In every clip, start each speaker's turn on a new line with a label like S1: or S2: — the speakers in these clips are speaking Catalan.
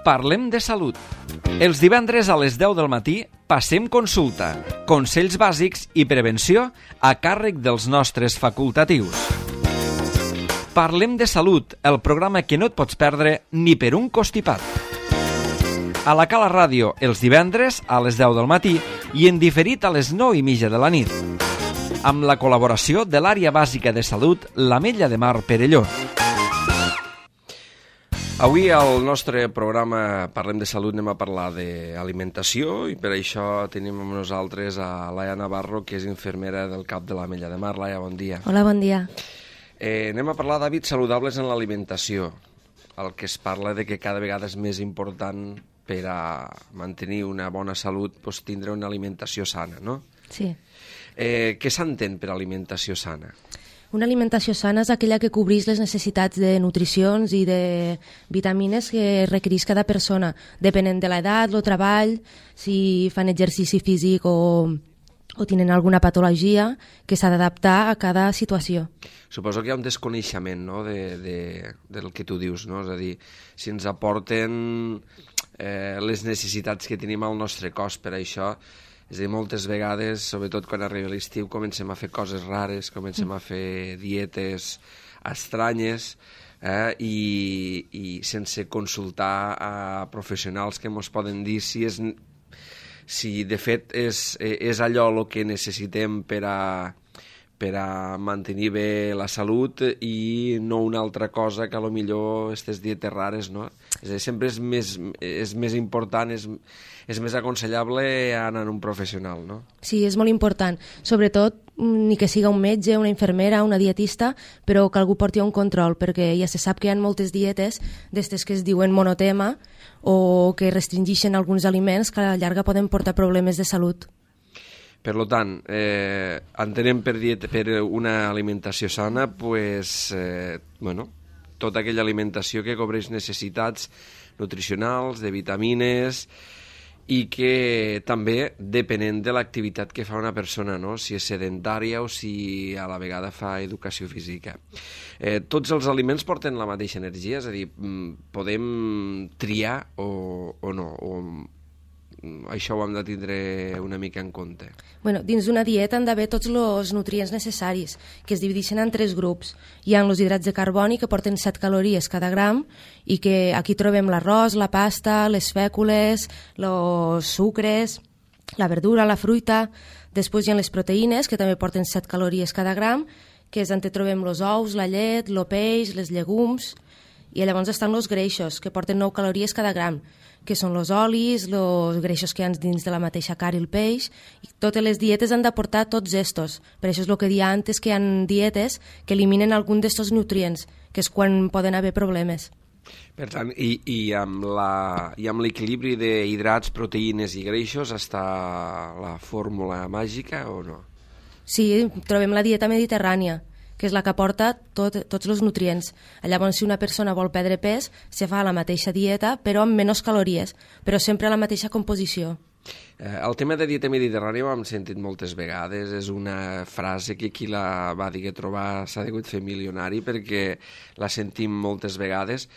S1: Parlem de salut. Els divendres a les 10 del matí passem consulta, consells bàsics i prevenció a càrrec dels nostres facultatius. Parlem de salut, el programa que no et pots perdre ni per un costipat. A la Cala Ràdio els divendres a les 10 del matí i en diferit a les 9:30 de la nit. Amb la col·laboració de l'Àrea Bàsica de Salut l'Ametlla de Mar Perelló.
S2: Avui al nostre programa Parlem de Salut anem a parlar d'alimentació i per això tenim amb nosaltres a Laia Navarro, que és infermera del CAP de l'Ametlla de Mar. Laia, bon dia.
S3: Hola, bon dia.
S2: Anem a parlar d'hàbits saludables en l'alimentació. El que es parla de que cada vegada és més important per a mantenir una bona salut tindre una alimentació sana, no?
S3: Sí.
S2: Què s'entén per alimentació sana?
S3: Una alimentació sana és aquella que cobreix les necessitats de nutricions i de vitamines que requereix cada persona, depenent de l'edat, el treball, si fan exercici físic o tenen alguna patologia que s'ha d'adaptar a cada situació.
S2: Suposo que hi ha un desconeixement, no?, del que tu dius, no? És a dir, si ens aporten les necessitats que tenim al nostre cos per això. És a dir, moltes vegades, sobretot quan arriba l'estiu, comencem a fer coses rares, comencem a fer dietes estranyes i sense consultar a professionals que ens poden dir si de fet és allò el que necessitem per a mantenir bé la salut i no una altra cosa que potser aquestes dietes rares, no? És a dir, sempre és més important, és més aconsellable anar a un professional, no?
S3: Sí, és molt important. Sobretot, ni que siga un metge, una infermera, una dietista, però que algú porti un control, perquè ja se sap que hi ha moltes dietes d'estes que es diuen monotema o que restringeixen alguns aliments que a la llarga poden portar problemes de salut.
S2: Per tant, entenem per una alimentació sana, tota aquella alimentació que cobreix necessitats nutricionals, de vitamines, i que també depenent de l'activitat que fa una persona, no? Si és sedentària o si a la vegada fa educació física. Tots els aliments porten la mateixa energia, és a dir, podem triar o no, això ho hem de tindre una mica en compte.
S3: Bueno, dins d'una dieta han d'haver tots els nutrients necessaris, que es divideixen en 3 grups. Hi ha els hidrats de carboni, que porten 7 calories cada gram, i que aquí trobem l'arròs, la pasta, les fècules, els sucres, la verdura, la fruita. Després hi ha les proteïnes, que també porten 7 calories cada gram, que és on trobem els ous, la llet, el peix, les llegums. I llavors estan els greixos, que porten 9 calories cada gram, que són els olis, els greixos que hi ha dins de la mateixa carn i el peix. I totes les dietes han d'aportar tots estos. Per això és el que deia antes, que hi ha dietes que eliminen algun d'estos nutrients, que és quan poden haver problemes.
S2: Per tant, i amb l'equilibri d'hidrats, proteïnes i greixos està la fórmula màgica o no?
S3: Sí, trobem la dieta mediterrània, que és la que aporta tots els nutrients. Llavors, si una persona vol perdre pes, se fa la mateixa dieta, però amb menys calories, però sempre la mateixa composició.
S2: El tema de dieta mediterrània ho hem sentit moltes vegades, és una frase que qui la va dir que trobar s'ha degut fer milionari perquè la sentim moltes vegades,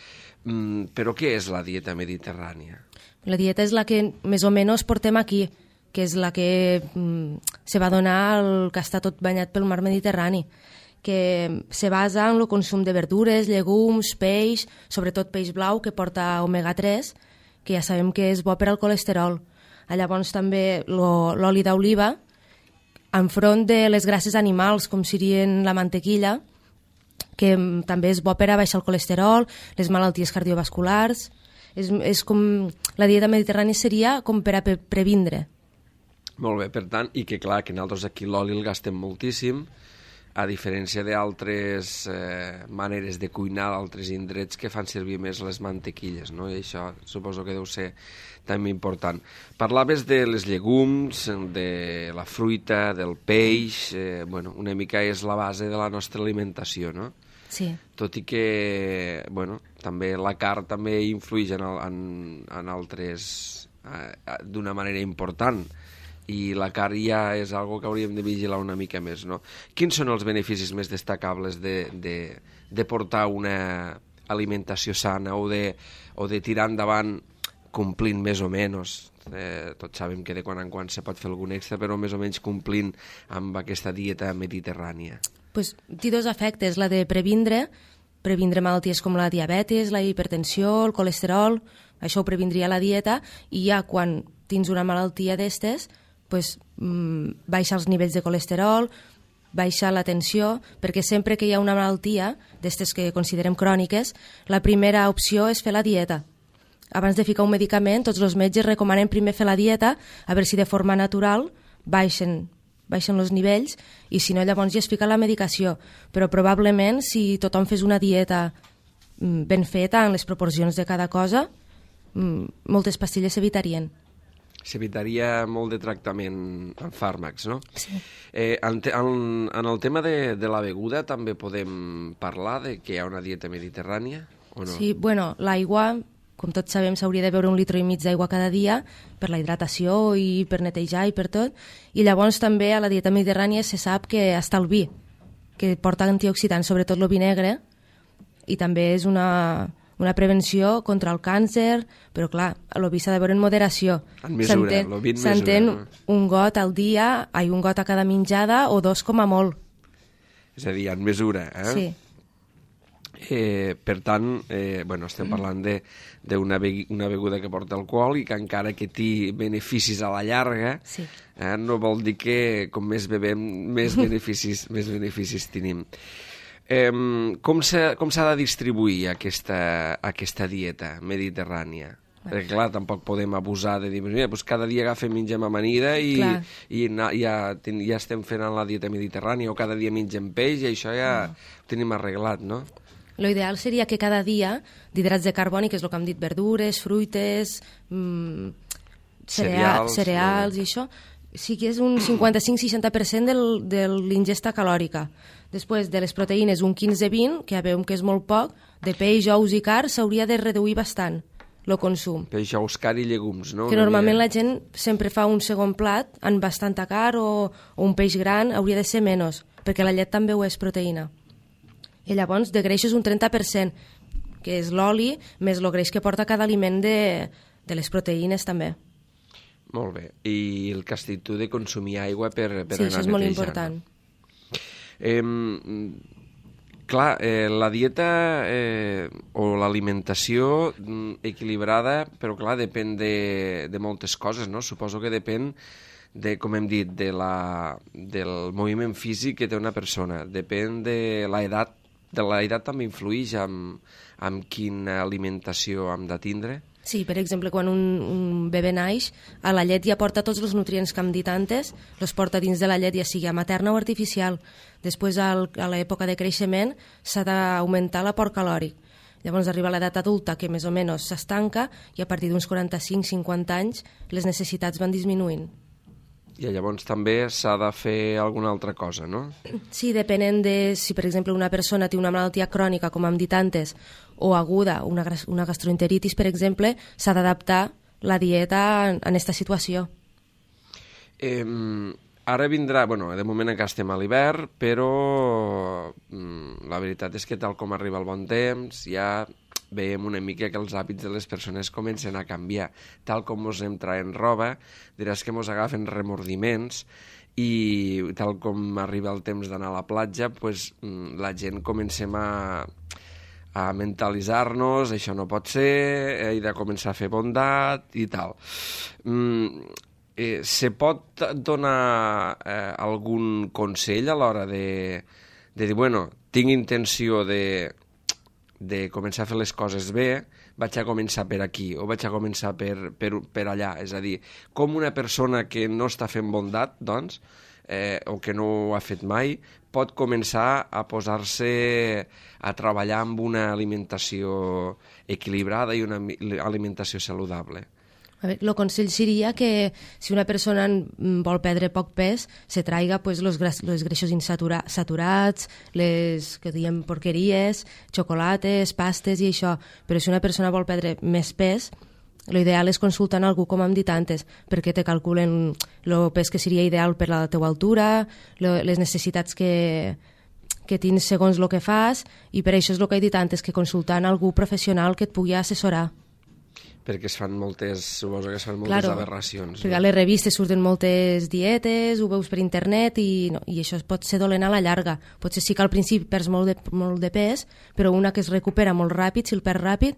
S2: però què és la dieta mediterrània?
S3: La dieta és la que més o menys portem aquí, que és la que se va donar el que està tot banyat pel mar Mediterrani, que se basa en el consum de verdures, llegums, peix, sobretot peix blau, que porta omega-3, que ja sabem que és bo per al colesterol. Llavors també l'oli d'oliva, enfront de les grasses animals, com serien la mantequilla, que també és bo per a baixar el colesterol, les malalties cardiovasculars. És com la dieta mediterrània seria com per a previndre.
S2: Molt bé, per tant, i que clar, que nosaltres aquí l'oli el gastem moltíssim, a diferència d'altres maneres de cuinar d'altres indrets que fan servir més les mantequilles, no? I això suposo que deu ser també important. Parlaves de les llegums, de la fruita, del peix, una mica és la base de la nostra alimentació, no?
S3: Sí.
S2: Tot i que, també la carn també influeix en altres d'una manera important, i la carn ja és algo que hauríem de vigilar una mica més, no? Quins són els beneficis més destacables de portar una alimentació sana o de tirar endavant complint més o menys. Tots sabem que de quan en quan se pot fer algun extra, però més o menys complint amb aquesta dieta mediterrània.
S3: Pues, té dos efectes, la de previndre malalties com la diabetis, la hipertensió, el colesterol, això ho previndria la dieta, i ja quan tens una malaltia d'estes, pues, baixa els nivells de colesterol, baixa la tensió, perquè sempre que hi ha una malaltia d'estes que considerem cròniques, la primera opció és fer la dieta. Abans de ficar un medicament, tots els metges recomanen primer fer la dieta, a veure si de forma natural baixen els nivells, i si no llavors ja es fica la medicació. Però probablement si tothom fes una dieta ben feta en les proporcions de cada cosa, moltes pastilles s'evitarien.
S2: S'evitaria molt de tractament amb fàrmacs, no?
S3: Sí.
S2: En el tema de la beguda també podem parlar de que hi ha una dieta mediterrània o no?
S3: Sí, bueno, l'aigua, com tots sabem, s'hauria de beure 1,5 litres d'aigua cada dia per la hidratació i per netejar i per tot. I llavors també a la dieta mediterrània se sap que està el vi, que porta antioxidants, sobretot el vi negre, i també és una prevenció contra el càncer, però clar, el vi s'ha de beure en moderació.
S2: En mesura, el vi en mesura.
S3: S'entén un got al dia, un got a cada menjada o 2 com a molt.
S2: És a dir, en mesura, eh?
S3: Sí.
S2: Per tant, estem parlant d'una beguda que porta alcohol i que encara que té beneficis a la llarga,
S3: sí.
S2: No vol dir que com més bevem més beneficis tenim. Com s'ha de distribuir aquesta dieta mediterrània? Perquè clar, tampoc podem abusar de dir, mira, doncs cada dia mengem amanida i ja estem fent la dieta mediterrània, o cada dia mengem peix i això ja ho tenim arreglat, no?
S3: Lo ideal seria que cada dia d'hidrats de carboni, que és el que hem dit, verdures, fruites, cereals i això, sí que és un 55-60% de l'ingesta calòrica. Després de les proteïnes un 15-20, que ja veiem que és molt poc, de peix, ous i carn s'hauria de reduir bastant el consum.
S2: Peix, ous, carn i llegums, no?
S3: Que normalment la gent sempre fa un segon plat amb bastanta carn o un peix gran, hauria de ser menys, perquè la llet també ho és proteïna. I llavors de greixos un 30%, que és l'oli més el greix que porta cada aliment de les proteïnes també.
S2: Molt bé. I el que has dit tu de consumir aigua per anar netejant.
S3: Sí, això és molt important.
S2: Clar, la dieta o l'alimentació equilibrada, però clar, depèn de moltes coses, no? Suposo que depèn com hem dit, del moviment físic que té una persona. Depèn de l'edat. De l'edat també influeix amb quina alimentació hem de tindre?
S3: Sí, per exemple, quan un bebè naix, a la llet ja porta tots els nutrients que hem dit antes, els porta dins de la llet, ja sigui materna o artificial. Després, a l'època de creixement, s'ha d'augmentar l'aport calòric. Llavors arriba a l'edat adulta, que més o menys s'estanca, i a partir d'uns 45-50 anys les necessitats van disminuint.
S2: I llavors també s'ha de fer alguna altra cosa, no?
S3: Sí, depenent de si, per exemple, una persona té una malaltia crònica, com hem dit antes, o aguda, una gastroenteritis, per exemple, s'ha d'adaptar la dieta en aquesta situació.
S2: Ara vindrà, de moment encara estem a l'hivern, però la veritat és que tal com arriba el bon temps, ja veiem una mica que els hàbits de les persones comencen a canviar. Tal com ens anem traient roba, diràs que ens agafen remordiments i tal com arriba el temps d'anar a la platja, pues, la gent comencem a mentalitzar-nos, això no pot ser, he de començar a fer bondat i tal. Se pot donar algun consell a l'hora de dir, tinc intenció de començar a fer les coses bé, vaig a començar per aquí o vaig a començar per allà. És a dir, com una persona que no està fent bondat, doncs, o que no ho ha fet mai, pot començar a posar-se a treballar amb una alimentació equilibrada i una alimentació saludable.
S3: El consell seria que si una persona vol perdre poc pes, se traiga els greixos insaturats, les que diem porqueries, xocolates, pastes i això. Però si una persona vol perdre més pes, l'ideal és consultar algú, com hem dit antes, perquè te calculen el pes que seria ideal per la teva altura, les necessitats que tens segons el que fas, i per això és el que he dit antes, que consultant algú professional que et pugui assessorar.
S2: Perquè suposo que es fan moltes aberracions.
S3: Perquè a les revistes surten moltes dietes, ho veus per internet i això pot ser dolent a la llarga. Potser sí que al principi perds molt de pes, però una que es recupera molt ràpid, si el perds ràpid,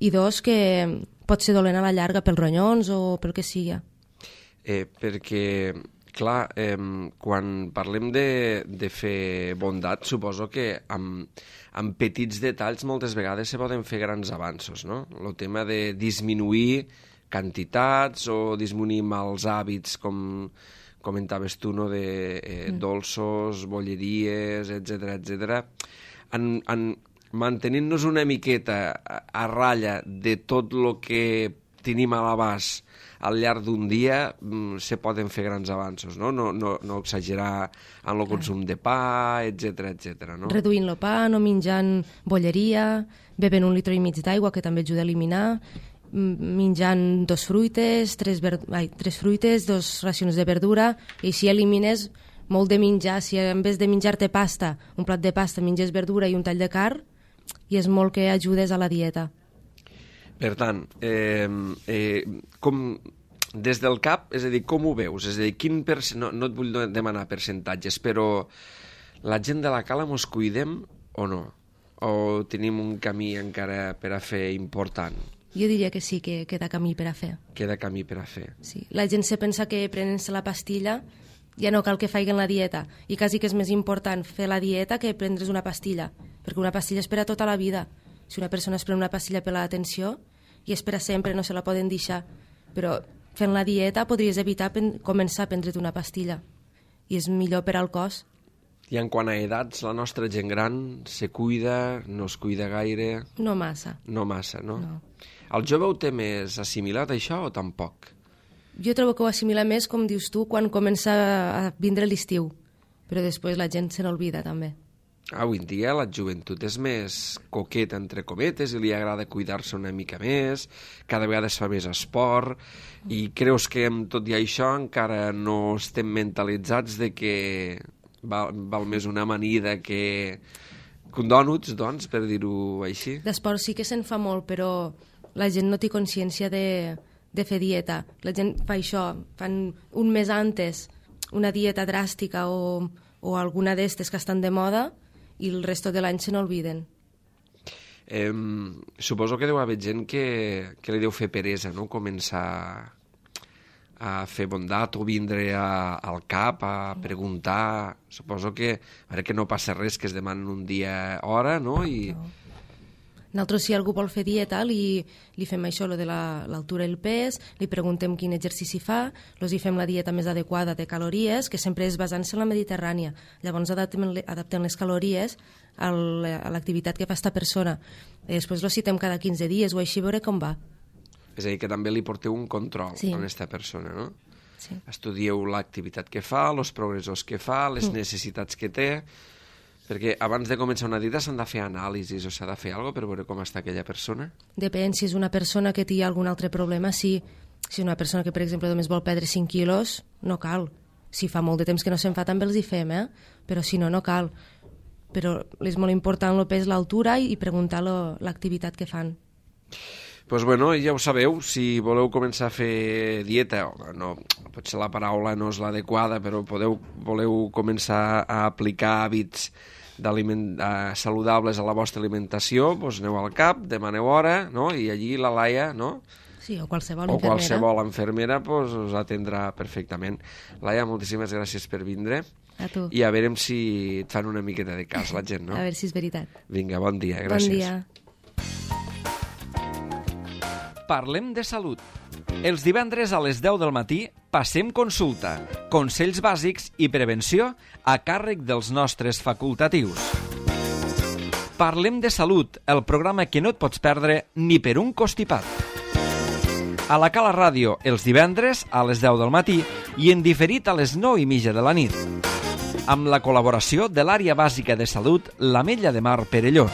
S3: i dos que pot ser dolent a la llarga pels ronyons o pel que sigui.
S2: Perquè, clar, quan parlem de fer bondat, suposo que amb petits detalls moltes vegades se poden fer grans avanços, no? El tema de disminuir quantitats o disminuir mals hàbits, com comentaves tu, no? De dolços, bolleries, etc. Mantenint-nos una miqueta a ratlla de tot el que tenim a l'abast al llarg d'un dia, se poden fer grans avanços, no? No exagerar en el consum de pa, etc. No?
S3: Reduint el pa, no menjant bolleria, bevent 1,5 litres d'aigua, que també ajuda a eliminar, menjant 2 fruites, 3 fruites, 2 racions de verdura, i així elimines molt de menjar. Si en vez de menjar-te pasta, un plat de pasta, menges verdura i un tall de carn, i és molt que ajudes a la dieta.
S2: Per tant, com des del cap, és a dir, com ho veus? És a dir, no et vull demanar percentatges, però la gent de la cala mos cuidem o no? O tenim un camí encara per a fer important?
S3: Jo diria que sí, que queda camí per a fer.
S2: Queda camí per a fer.
S3: Sí. La gent se pensa que prenent-se la pastilla ja no cal que faiguen la dieta, i quasi que és més important fer la dieta que prendre's una pastilla, perquè una pastilla és per a tota la vida. Si una persona es pren una pastilla per l'atenció i és per a sempre, no se la poden deixar. Però fent la dieta podries evitar començar a prendre't una pastilla. I és millor per al cos.
S2: I en quant a edats, la nostra gent gran se cuida, no es cuida gaire?
S3: No massa.
S2: No massa, no?
S3: No.
S2: El jove ho té més assimilat, això, o tampoc?
S3: Jo trobo que ho assimila més, com dius tu, quan comença a vindre l'estiu. Però després la gent se n'olvida, també.
S2: Avui en dia la joventut és més coqueta, entre cometes, i li agrada cuidar-se una mica més, cada vegada es fa més esport, i creus que amb tot i això encara no estem mentalitzats de que val més una amanida que un dònuts, doncs, per dir-ho així?
S3: D'esport sí que se'n fa molt, però la gent no té consciència de fer dieta. La gent fa això, fan un mes antes una dieta dràstica o alguna d'estes que estan de moda, i el resto de l'any se n'olviden.
S2: Suposo que deu haver gent que li deu fer peresa, no?, començar a fer bondat o vindre al cap a preguntar. Suposo que no passa res, que es demanen un dia hora, no? No.
S3: Nosaltres, si algú vol fer dieta, li fem això, lo de l'altura i el pes, li preguntem quin exercici fa, hi fem la dieta més adequada de calories, que sempre és basant-se en la mediterrània. Llavors adaptem les calories a l'activitat que fa esta persona. I després lo citem cada 15 dies o així, veure com va.
S2: És a dir, que també li porteu un control a aquesta persona, no?
S3: Sí.
S2: Estudieu l'activitat que fa, els progressos que fa, les necessitats que té, perquè abans de començar una dieta s'han de fer anàlisis o s'ha de fer alguna cosa per veure com està aquella persona?
S3: Depèn, si és una persona que té algun altre problema, sí. Si és una persona que, per exemple, només vol perdre 5 quilos, no cal. Si fa molt de temps que no se'n fa, també els hi fem, però si no, no cal. Però és molt important el pes, l'altura i preguntar l'activitat que fan.
S2: Doncs bueno, ja ho sabeu, si voleu començar a fer dieta, no, potser la paraula no és l'adequada, però voleu començar a aplicar hàbits saludables a la vostra alimentació, doncs aneu al CAP, demaneu hora, no? I allí la Laia, no?
S3: Sí, o qualsevol infermera.
S2: O qualsevol infermera us atendrà perfectament. Laia, moltíssimes gràcies per vindre.
S3: A tu.
S2: I a veure si et fan una miqueta de cas la gent, no?
S3: A veure si és veritat.
S2: Vinga, bon dia, gràcies.
S3: Bon dia.
S1: Parlem de salut. Els divendres a les 10 del matí passem consulta, consells bàsics i prevenció a càrrec dels nostres facultatius. Parlem de salut, el programa que no et pots perdre ni per un costipat. A la Cala Ràdio, els divendres a les 10 del matí i en diferit a les 9:30 de la nit. Amb la col·laboració de l'Àrea Bàsica de Salut, l'Ametlla de Mar Perelló.